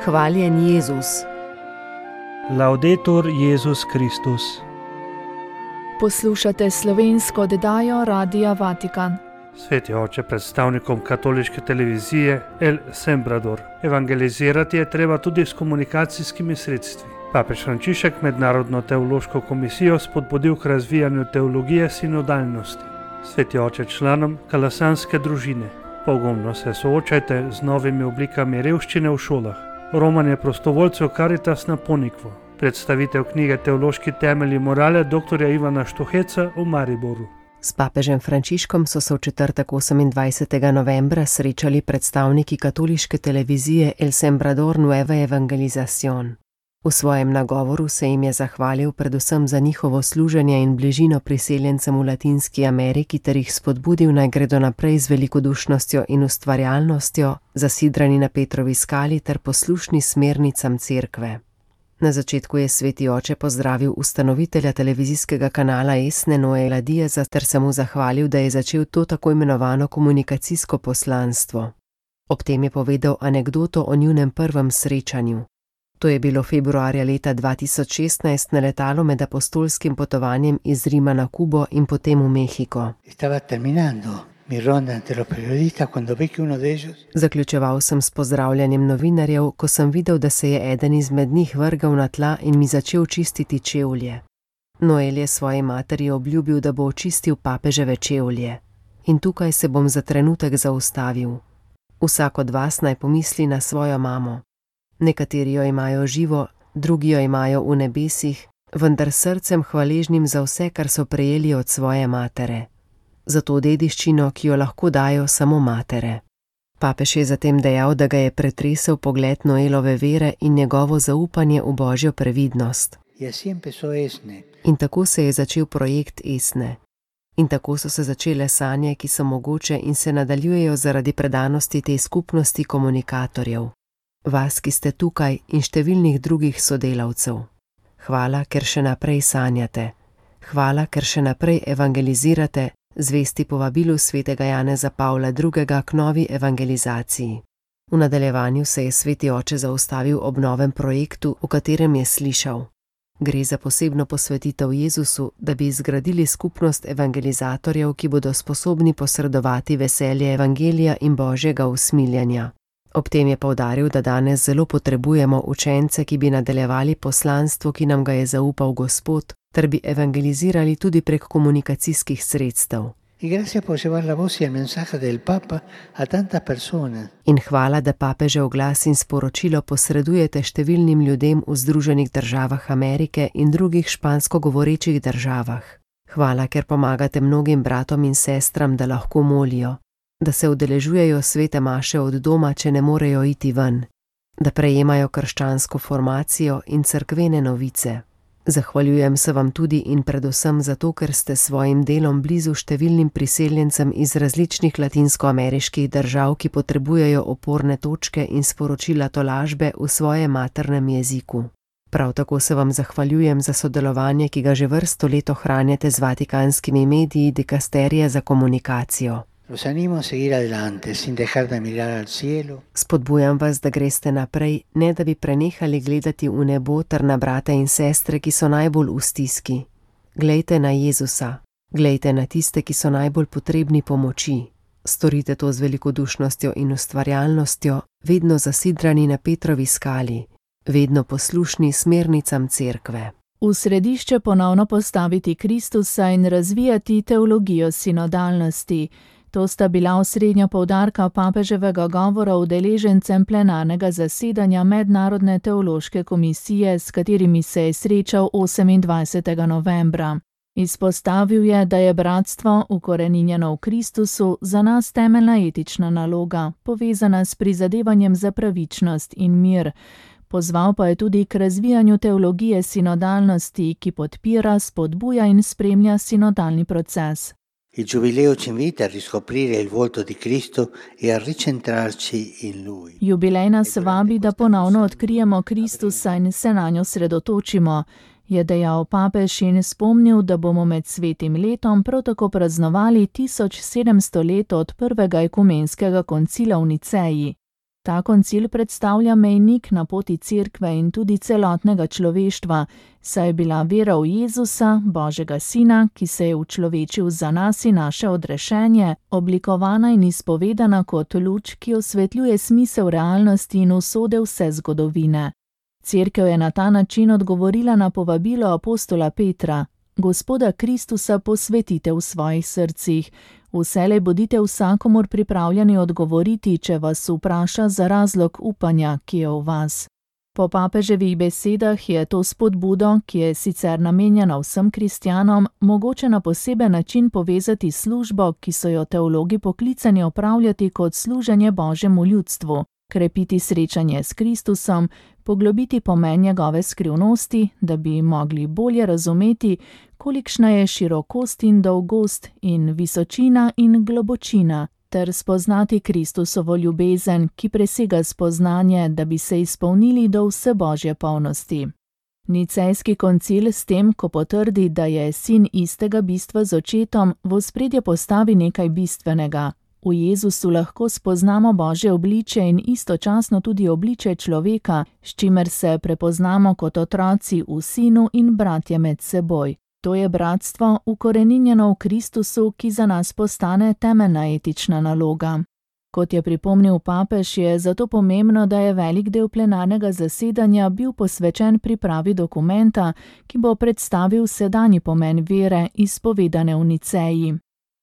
Hvaljen Jezus. Laudetur Jezus Kristus. Poslušate slovensko oddajo Radia Vatikan. Sveti oče, predstavnikom katoliške televizije El Sembrador. Evangelizirati je treba tudi s komunikacijskimi sredstvi. Papež Frančišek Mednarodno teološko komisijo spodbudil k razvijanju teologije sinodalnosti. Sveti oče, članom kalasanske družine. Pogumno se soočajte z novimi oblikami revščine v šolah. Romanje prostovoljcev Caritas na Ponikvo. Predstavitev knjige Teološki temelji morale dr. Ivana Štuheca v Mariboru. S papežem Frančiškom so se v četrtek 28. novembra srečali predstavniki katoliške televizije El Sembrador Nueva Evangelización. V svojem nagovoru se jim je zahvalil predvsem za njihovo služenje in bližino priseljencem v Latinski Ameriki ter jih spodbudil, naj gredo naprej z velikodušnostjo in ustvarjalnostjo, zasidrani na Petrovi skali ter poslušni smernicam cerkve. Na začetku je sveti oče pozdravil ustanovitelja televizijskega kanala Esne Noela Diaza ter se mu zahvalil, da je začel to tako imenovano komunikacijsko poslanstvo. Ob tem je povedal anekdoto o njunem prvem srečanju. To je bilo februarja leta 2016 na letalu med apostolskim potovanjem iz Rima na Kubo in potem v Mehiko. Zaključeval sem s pozdravljanjem novinarjev, ko sem videl, da se je eden izmed njih vrgal na tla in mi začel čistiti čevlje. Noel je svoji materi obljubil, da bo očistil papeževe čevlje. In tukaj se bom za trenutek zaustavil. Vsak od vas naj pomisli na svojo mamo. Nekateri jo imajo živo, drugi jo imajo v nebesih, vendar srcem hvaležnim za vse, kar so prejeli od svoje matere. Za to dediščino, ki jo lahko dajo samo matere. Papež je zatem dejal, da ga je pretresel pogled Noelove vere in njegovo zaupanje v Božjo previdnost. In tako se je začel projekt Esne. In tako so se začele sanje, ki so mogoče in se nadaljujejo zaradi predanosti te skupnosti komunikatorjev. Vas, ki ste tukaj, in številnih drugih sodelavcev. Hvala, ker še naprej sanjate. Hvala, ker še naprej evangelizirate, zvesti povabilu svetega Janeza Pavla II. K novi evangelizaciji. V nadaljevanju se je sveti oče zaustavil ob novem projektu, v katerem je slišal. Gre za posebno posvetitev Jezusu, da bi zgradili skupnost evangelizatorjev, ki bodo sposobni posredovati veselje evangelija in Božjega usmiljanja. Ob tem je poudaril, da danes zelo potrebujemo učence, ki bi nadaljevali poslanstvo, ki nam ga je zaupal Gospod, ter bi evangelizirali tudi prek komunikacijskih sredstev. In hvala, da papežev glas in sporočilo posredujete številnim ljudem v Združenih državah Amerike in drugih špansko govorečih državah. Hvala, ker pomagate mnogim bratom in sestram, da lahko molijo, da se udeležujejo svete maše od doma, če ne morejo iti ven, da prejemajo krščansko formacijo in cerkvene novice. Zahvaljujem se vam tudi in predvsem zato, ker ste svojim delom blizu številnim priseljencem iz različnih latinskoameriških držav, ki potrebujejo oporne točke in sporočila tolažbe v svojem maternem jeziku. Prav tako se vam zahvaljujem za sodelovanje, ki ga že vrsto let ohranjate z vatikanskimi mediji Dikasterija za komunikacijo. Spodbujam vas, da greste naprej, ne da bi prenehali gledati v nebo ter na brate in sestre, ki so najbolj v stiski. Glejte na Jezusa, glejte na tiste, ki so najbolj potrebni pomoči. Storite to z velikodušnostjo in ustvarjalnostjo, vedno zasidrani na Petrovi skali, vedno poslušni smernicam cerkve. V središče ponovno postaviti Kristusa in razvijati teologijo sinodalnosti. To sta bila osrednja poudarka papeževega govora udeležencem plenarnega zasedanja Mednarodne teološke komisije, s katerimi se je srečal 28. novembra. Izpostavil je, da je bratstvo, ukoreninjeno v Kristusu, za nas temeljna etična naloga, povezana s prizadevanjem za pravičnost in mir. Pozval pa je tudi k razvijanju teologije sinodalnosti, ki podpira, spodbuja in spremlja sinodalni proces. Il Giubileo ci invita a riscoprire il volto di Cristo e a ricentrarci in Lui. Jubilej nas vabi, da ponovno odkrijemo Kristusa in se nanjo sredotočimo, je dejal papež in spomnil, da bomo med svetim letom prav tako praznovali 1700 let od prvega ekumenskega koncila v Niceji. Ta koncil predstavlja mejnik na poti Cerkve in tudi celotnega človeštva, saj je bila vera v Jezusa, Božjega Sina, ki se je učlovečil za nas in naše odrešenje, oblikovana in izpovedana kot luč, ki osvetljuje smisel realnosti in usode vse zgodovine. Cerkev je na ta način odgovorila na povabilo apostola Petra: Gospoda Kristusa posvetite v svojih srcih. Vselej bodite vsakomur pripravljeni odgovoriti, če vas vpraša za razlog upanja, ki je v vas. Po papeževih besedah je to spodbudo, ki je sicer namenjena vsem kristjanom, mogoče na poseben način povezati s službo, ki so jo teologi poklicani opravljati kot služenje Božjemu ljudstvu, krepiti srečanje s Kristusom, poglobiti pomen njegove skrivnosti, da bi mogli bolje razumeti, kolikšna je širokost in dolgost in visočina in globočina, ter spoznati Kristusovo ljubezen, ki presega spoznanje, da bi se izpolnili do vse Božje polnosti. Nicejski koncil s tem, ko potrdi, da je sin istega bistva z očetom, v ospredje postavi nekaj bistvenega. V Jezusu lahko spoznamo Božje obličje in istočasno tudi obličje človeka, s čimer se prepoznamo kot otroci v sinu in bratje med seboj. To je bratstvo, ukoreninjeno v Kristusu, ki za nas postane temeljna etična naloga. Kot je pripomnil papež, je zato pomembno, da je velik del plenarnega zasedanja bil posvečen pripravi dokumenta, ki bo predstavil sedanji pomen vere, izpovedane v Niceji.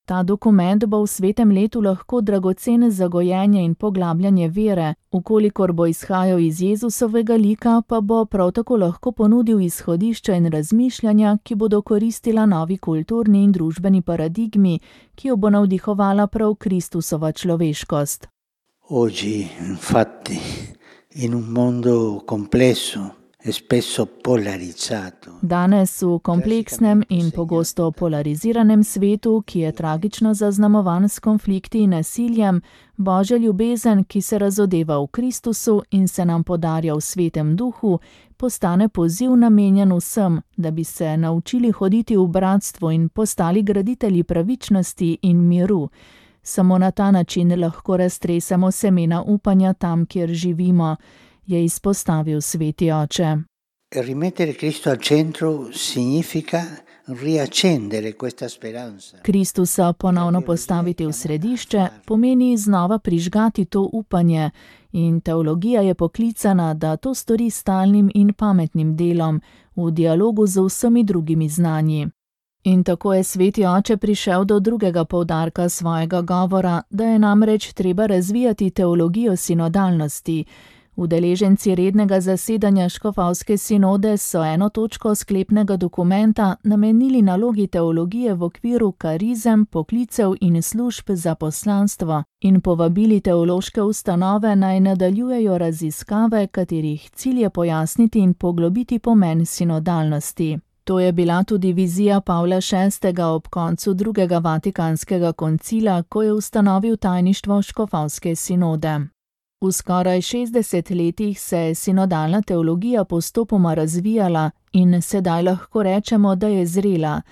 Ta dokument bo v svetem letu lahko dragocen za gojenje in poglabljanje vere, ukolikor bo izhajal iz Jezusovega lika, pa bo prav tako lahko ponudil izhodišča in razmišljanja, ki bodo koristila novi kulturni in družbeni paradigmi, ki jo bo navdihovala prav Kristusova človeškost. Oggi, infatti, in un mondo complesso, Danes v kompleksnem in pogosto polariziranem svetu, ki je tragično zaznamovan s konflikti in nasiljem, Božja ljubezen, ki se razodeva v Kristusu in se nam podarja v Svetem Duhu, postane poziv namenjen vsem, da bi se naučili hoditi v bratstvu in postali graditelji pravičnosti in miru. Samo na ta način lahko raztresemo semena upanja tam, kjer živimo, je izpostavil sveti oče. Rimettere Cristo al centro significa riaccendere questa speranza. Kristusa ponovno postaviti v središče pomeni znova prižgati to upanje in teologija je poklicana, da to stori stalnim in pametnim delom v dialogu z vsemi drugimi znanji. In tako je sveti oče prišel do drugega poudarka svojega govora, da je namreč treba razvijati teologijo sinodalnosti. Udeleženci rednega zasedanja škofovske sinode so eno točko sklepnega dokumenta namenili nalogi teologije v okviru karizem, poklicev in služb za poslanstvo in povabili teološke ustanove naj nadaljujejo raziskave, katerih cilj je pojasniti in poglobiti pomen sinodalnosti. To je bila tudi vizija Pavla VI. Ob koncu drugega vatikanskega koncila, ko je ustanovil tajništvo škofovske sinode. V skoraj 60 letih se je sinodalna teologija postopoma razvijala in sedaj lahko rečemo, da je zrela.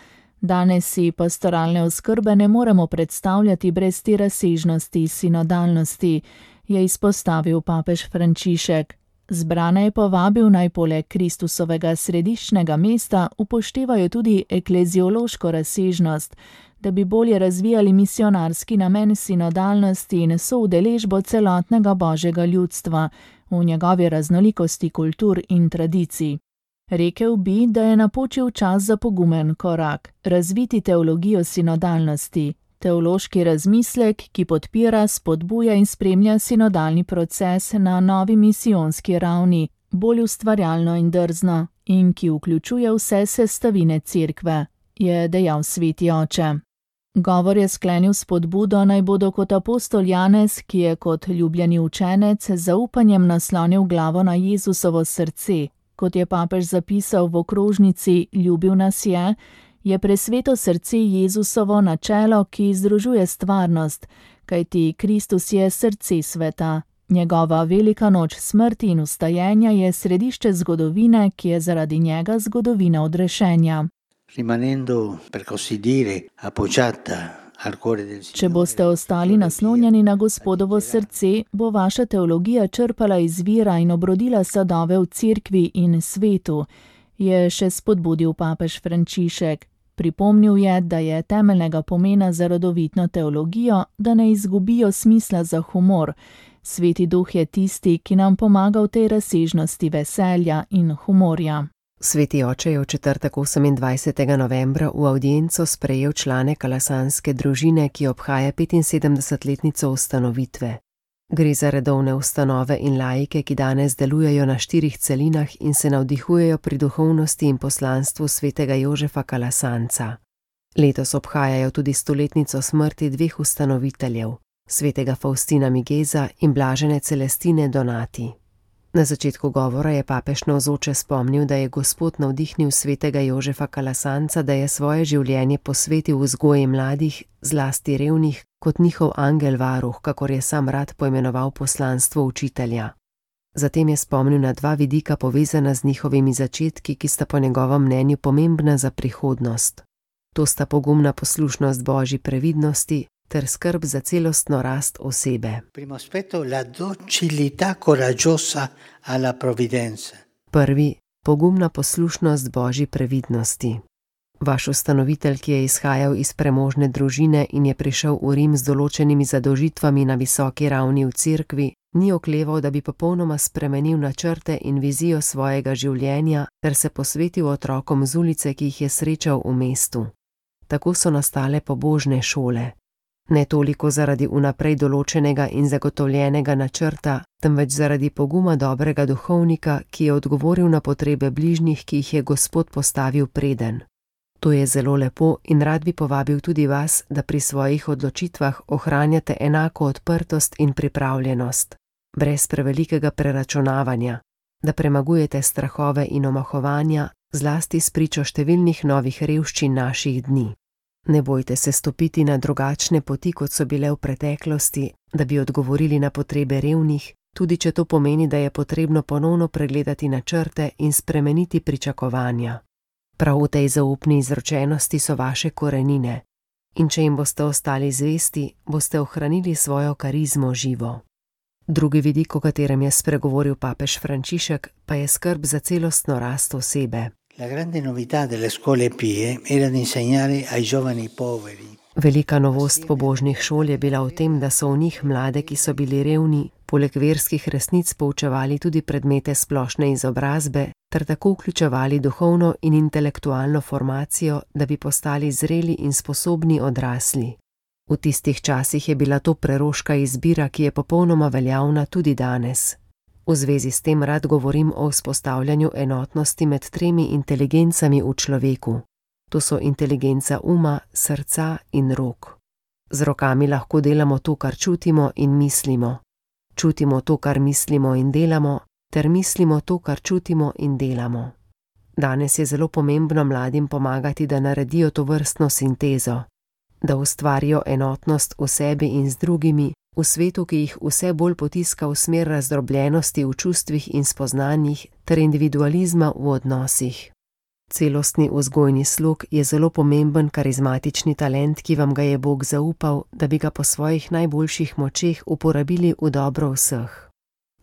Danes si pastoralne oskrbe ne moremo predstavljati brez te razsežnosti sinodalnosti, je izpostavil papež Frančišek. Zbrane je povabil naj poleg Kristusovega središčnega mesta upoštevajo tudi ekleziološko razsežnost, da bi bolje razvijali misionarski namen sinodalnosti in soudeležbo celotnega Božjega ljudstva v njegovi raznolikosti kultur in tradicij. Rekel bi, da je napočil čas za pogumen korak, razviti teologijo sinodalnosti, teološki razmislek, ki podpira, spodbuja in spremlja sinodalni proces na novi misijonski ravni, bolj ustvarjalno in drzno, in ki vključuje vse sestavine cerkve, je dejal sveti oče. Govor je sklenil spodbudo, naj bodo kot apostol Janez, ki je kot ljubljeni učenec z zaupanjem naslonil glavo na Jezusovo srce. Kot je papež zapisal v okrožnici Ljubil nas je presveto srce Jezusovo načelo, ki združuje stvarnost, kajti Kristus je srce sveta. Njegova velika noč smrti in vstajenja je središče zgodovine, ki je zaradi njega zgodovina odrešenja. Rimanendo, per così dire, appoggiata al cuore del Če boste ostali naslonjeni na Gospodovo srce, bo vaša teologija črpala iz vira in obrodila sadove v cerkvi in svetu, je še spodbudil papež Frančišek. Pripomnil je, da je temeljnega pomena za rodovitno teologijo, da ne izgubijo smisla za humor. Sveti Duh je tisti, ki nam pomaga v tej razsežnosti veselja in humorja. Sveti oče je v četrtek 28. novembra v avdienco sprejel člane kalasanske družine, ki obhaja 75-letnico ustanovitve. Gre za redovne ustanove in laike, ki danes delujejo na 4 celinah in se navdihujejo pri duhovnosti in poslanstvu svetega Jožefa Kalasanca. Letos obhajajo tudi 100-letnico smrti 2 ustanoviteljev, svetega Faustina Migeza in blažene Celestine Donati. Na začetku govora je papež navzoče spomnil, da je Gospod navdihnil svetega Jožefa Kalasanca, da je svoje življenje posvetil vzgoji mladih, zlasti revnih, kot njihov angel varuh, kakor je sam rad poimenoval poslanstvo učitelja. Zatem je spomnil na 2 vidika povezana z njihovimi začetki, ki sta po njegovem mnenju pomembna za prihodnost. To sta pogumna poslušnost Božji previdnosti ter skrb za celostno rast osebe. Primo aspetto, la docilità coraggiosa alla provvidenza. Prvi, pogumna poslušnost Božji previdnosti. Vaš ustanovitelj, ki je izhajal iz premožne družine in je prišel v Rim z določenimi zadolžitvami na visoki ravni v cerkvi, ni okleval, da bi popolnoma spremenil načrte in vizijo svojega življenja ter se posvetil otrokom z ulice, ki jih je srečal v mestu. Tako so nastale pobožne šole. Ne toliko zaradi vnaprej določenega in zagotovljenega načrta, temveč zaradi poguma dobrega duhovnika, ki je odgovoril na potrebe bližnjih, ki jih je Gospod postavil preden. To je zelo lepo in rad bi povabil tudi vas, da pri svojih odločitvah ohranjate enako odprtost in pripravljenost, brez prevelikega preračunavanja, da premagujete strahove in omahovanja, zlasti spričo številnih novih revščin naših dni. Ne bojte se stopiti na drugačne poti, kot so bile v preteklosti, da bi odgovorili na potrebe revnih, tudi če to pomeni, da je potrebno ponovno pregledati načrte in spremeniti pričakovanja. Prav v tej zaupni izročenosti so vaše korenine in če jim boste ostali zvesti, boste ohranili svojo karizmo živo. Drugi vidik, o katerem je spregovoril papež Frančišek, pa je skrb za celostno rast osebe. La grande novità delle scuole pie era di insegnare ai giovani poveri. Velika novost pobožnih šol je bila v tem, da so v njih mlade, ki so bili revni, poleg verskih resnic poučevali tudi predmete splošne izobrazbe, ter tako vključevali duhovno in intelektualno formacijo, da bi postali zreli in sposobni odrasli. V tistih časih je bila to preroška izbira, ki je popolnoma veljavna tudi danes. V zvezi s tem rad govorim o vzpostavljanju enotnosti med 3 inteligencami v človeku. To so inteligenca uma, srca in rok. Z rokami lahko delamo to, kar čutimo in mislimo. Čutimo to, kar mislimo in delamo, ter mislimo to, kar čutimo in delamo. Danes je zelo pomembno mladim pomagati, da naredijo to vrstno sintezo, da ustvarijo enotnost v sebi in z drugimi, v svetu, ki jih vse bolj potiska v smer razdrobljenosti v čustvih in spoznanjih ter individualizma v odnosih. Celostni vzgojni slog je zelo pomemben karizmatični talent, ki vam ga je Bog zaupal, da bi ga po svojih najboljših močeh uporabili v dobro vseh.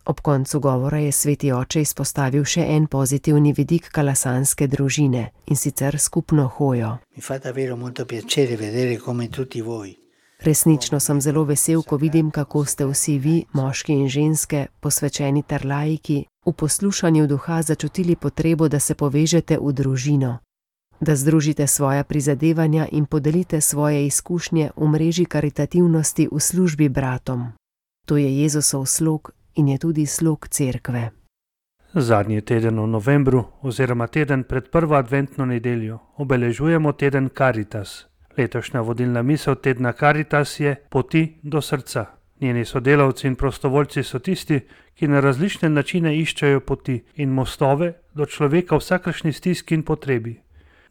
Ob koncu govora je sveti oče izpostavil še en pozitivni vidik kalasanske družine, in sicer skupno hojo. Mi fa davvero molto piacere vedere come tutti voi. Resnično sem zelo vesel, ko vidim, kako ste vsi vi, moški in ženske, posvečeni ter laiki, v poslušanju duha začutili potrebo, da se povežete v družino, da združite svoja prizadevanja in podelite svoje izkušnje v mreži karitativnosti v službi bratom. To je Jezusov slog in je tudi slog cerkve. Zadnji teden v novembru oziroma teden pred prvo adventno nedeljo obeležujemo teden Caritas. Letošnja vodilna misel tedna Caritas je Poti do srca. Njeni sodelavci in prostovoljci so tisti, ki na različne načine iščejo poti in mostove do človeka v vsakršni stiski in potrebi.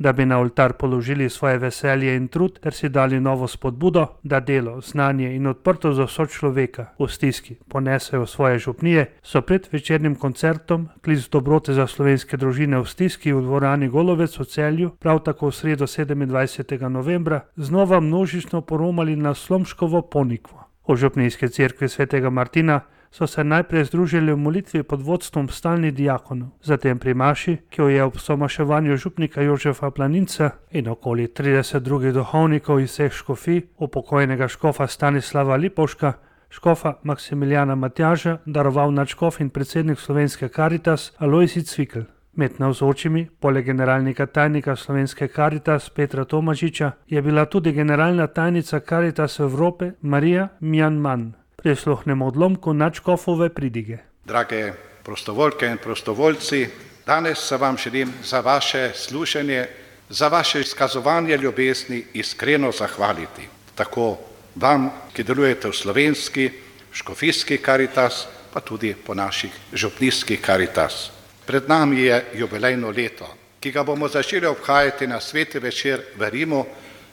da bi na oltar položili svoje veselje in trud ter si dali novo spodbudo, da delo, znanje in odprtost za sočloveka v stiski ponesejo svoje župnije, so pred večernim koncertom Klic dobrote za slovenske družine v stiski v dvorani Golovec v Celju, prav tako v sredo 27. novembra, znova množično poromali na Slomškovo ponikvo. V župnijski cerkvi svetega Martina so se najprej združili v molitvi pod vodstvom stalnih diakonov, zatem pri maši, ki jo je ob somaševanju župnika Jožefa Planinca in okoli 30 drugih duhovnikov iz vseh škofij, upokojnega škofa Stanislava Lipovška, škofa Maksimiljana Matjaža, daroval nadškof in predsednik Slovenske Karitas Alojzij Cvikl. Med navzočimi, poleg generalnega tajnika Slovenske Karitas Petra Tomažiča, je bila tudi generalna tajnica Karitas Evrope Marija Mjanman. Prisluhnemo odlomku nadškofove pridige. Drage prostovoljke in prostovoljci, danes se vam želim za vaše služenje, za vaše izkazovanje ljubezni iskreno zahvaliti. Tako vam, ki delujete v slovenski, škofijski Karitas, pa tudi po naših župnijskih Karitas. Pred nami je jubilejno leto, ki ga bomo začeli obhajati na sveti večer v Rimu,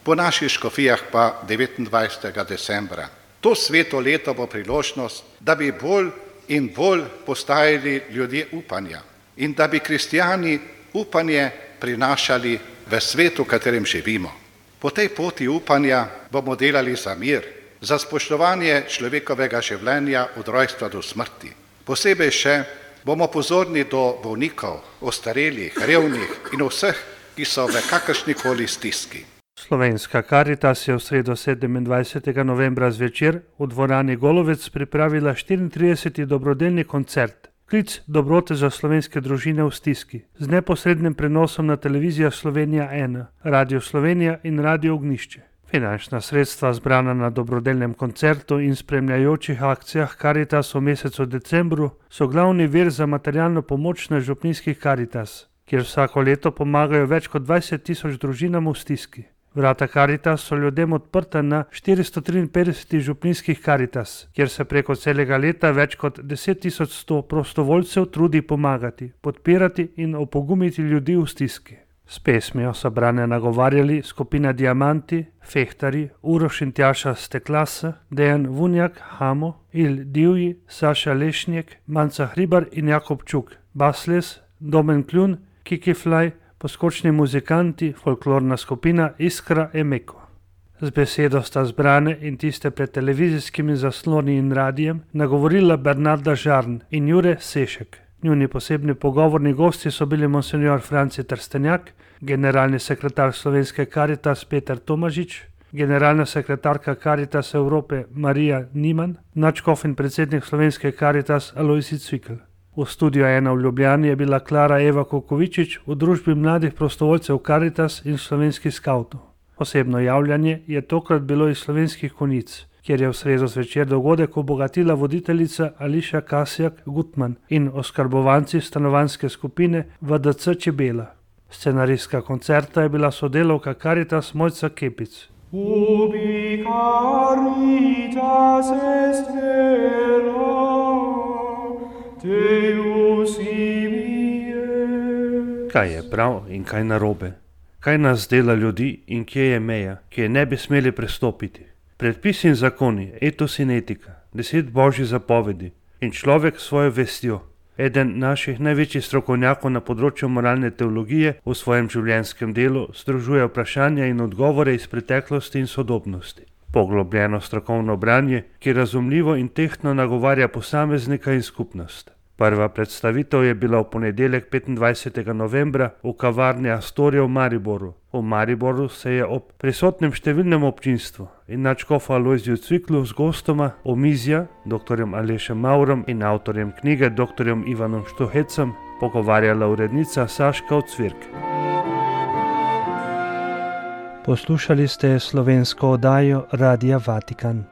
po naših škofijah pa 29. decembra. To sveto leto bo priložnost, da bi bolj in bolj postajali ljudje upanja in da bi kristijani upanje prinašali v svetu, v katerem živimo. Po tej poti upanja bomo delali za mir, za spoštovanje človekovega življenja od rojstva do smrti. Posebej še bomo pozorni do bolnikov, ostarelih, revnih in vseh, ki so v kakršnikoli stiski. Slovenska Karitas je v sredo 27. novembra zvečer v dvorani Golovec pripravila 34. dobrodelni koncert Klic dobrote za slovenske družine v stiski z neposrednim prenosom na televizija Slovenija 1, Radio Slovenija in Radio Ognjišče. Finančna sredstva zbrana na dobrodelnem koncertu in spremljajočih akcijah Karitas v mesecu decembru so glavni vir za materialno pomoč na župnijskih Karitas, kjer vsako leto pomagajo več kot 20.000 družinam v stiski. Vrata Karitas so ljudem odprta na 453 župnijskih Karitas, kjer se preko celega leta več kot 10.100 prostovoljcev trudi pomagati, podpirati in opogumiti ljudi v stiski. S pesmijo so brane nagovarjali skupina Diamanti, Fehtari, Uroš in Tjaša Steklasa, Dejan Vunjak, Hamo, Il Divji, Saša Lešnjek, Manca Hribar in Jakob Čuk, Basles, Domen Kljun, Kiki Flaj, poskočni muzikanti, folklorna skupina Iskra Emeko. Z besedo sta zbrane in tiste pred televizijskimi zasloni in radijem nagovorila Bernarda Žarn in Jure Sešek. Njuni posebni pogovorni gosti so bili monsenjor Franci Trstenjak, generalni sekretar Slovenske Karitas Peter Tomažič, generalna sekretarka Karitas Evrope Marija Niman, nadškof in predsednik Slovenske Karitas Alojzij Cvikl. V studiu 1 v Ljubljani je bila Klara Eva Kukovičič v družbi mladih prostovoljcev Karitas in slovenskih skavtov. Posebno javljanje je tokrat bilo iz Slovenskih Konjic, kjer je v sredo zvečer dogodek obogatila voditeljica Ališa Kasjak Gutman in oskrbovanci stanovanjske skupine VDC Čebela. Scenaristka koncerta je bila sodelavka Karitas Mojca Kepic. Ubi caritas est vera, Deus imie. Kaj je prav in kaj narobe? Kaj nas dela ljudi in kje je meja, ki je ne bi smeli prestopiti? Predpisi in zakoni, etos in etika, 10 božjih zapovedi in človek svojo vestjo. Eden naših največjih strokovnjakov na področju moralne teologije v svojem življenjskem delu združuje vprašanja in odgovore iz preteklosti in sodobnosti. Poglobljeno strokovno branje, ki razumljivo in tehtno nagovarja posameznika in skupnost. Prva predstavitev je bila v ponedeljek 25. novembra v kavarni Astoria v Mariboru. V Mariboru se je ob prisotnem številnem občinstvu in nadškofu Alojziju Cviklu z gostoma omizja, dr. Alešem Maurom in avtorjem knjige dr. Ivanom Štuhecem, pogovarjala urednica Saška Ocvirk. Poslušali ste slovensko oddajo Radia Vatikan.